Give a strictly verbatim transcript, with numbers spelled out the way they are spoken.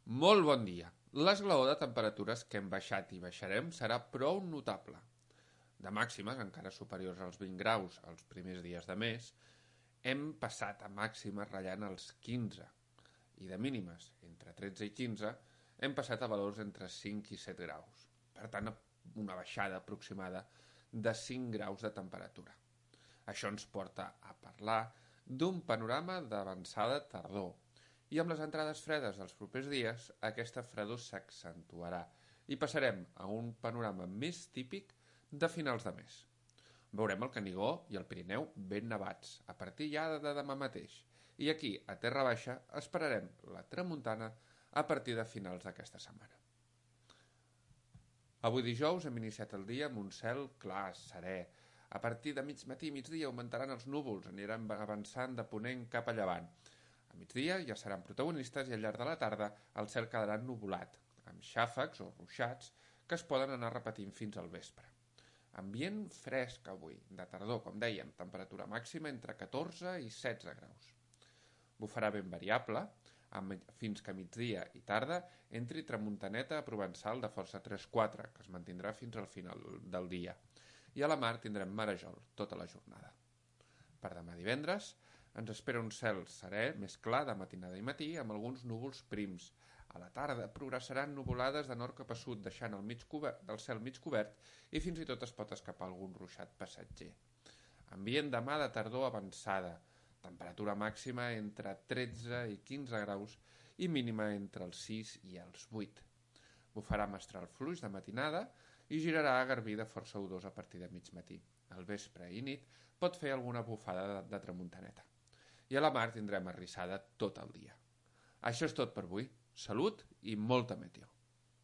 Molt bon dia. L'esglaó de temperatures que hem baixat i baixarem serà prou notable. De màximes, encara superiors als vint graus els primers dies de mes, hem passat a màximes ratllant els quinze, i de mínimes, entre tretze i quinze, hem passat a valors entre cinc i set graus. Per tant, una baixada aproximada de cinc graus de temperatura. Això ens porta a parlar d'un panorama d'avançada tardor, i amb les entrades fredes dels propers dies, aquesta fredor s'accentuarà i passarem a un panorama més típic de finals de mes. Veurem el Canigó i el Pirineu ben nevats, a partir ja de demà mateix, i aquí, a Terra Baixa, esperarem la tramuntana a partir de finals d'aquesta setmana. Avui dijous hem iniciat el dia amb un cel clar, serè. A partir de mig matí i migdia augmentaran els núvols, aniran avançant de ponent cap a llevant. A migdia ja seran protagonistes i al llarg de la tarda el cel quedarà nuvolat, amb xàfecs o ruixats que es poden anar repetint fins al vespre. Ambient fresc avui, de tardor, com dèiem, temperatura màxima entre catorze i setze graus. Bufarà ben variable, fins que a migdia i tarda entri tramuntaneta provençal de força tres quatre, que es mantindrà fins al final del dia, i a la mar tindrem marejol tota la jornada. Per demà divendres ens espera un cel serè, més clar, de matinada i matí, amb alguns núvols prims. A la tarda progressaran nuvolades de nord cap a sud, deixant el, mig cobert, el cel mig cobert i fins i tot es pot escapar algun ruixat passatger. Ambient demà de tardor avançada, temperatura màxima entre tretze i quinze graus i mínima entre els sis i els vuit. Bufarà mestral fluix de matinada i girarà a garbí de força odós a partir de mig matí. Al vespre i nit pot fer alguna bufada de, de tramuntaneta. I a la mar tindrem arrissada tot el dia. Això és tot per avui. Salut i molta meteo.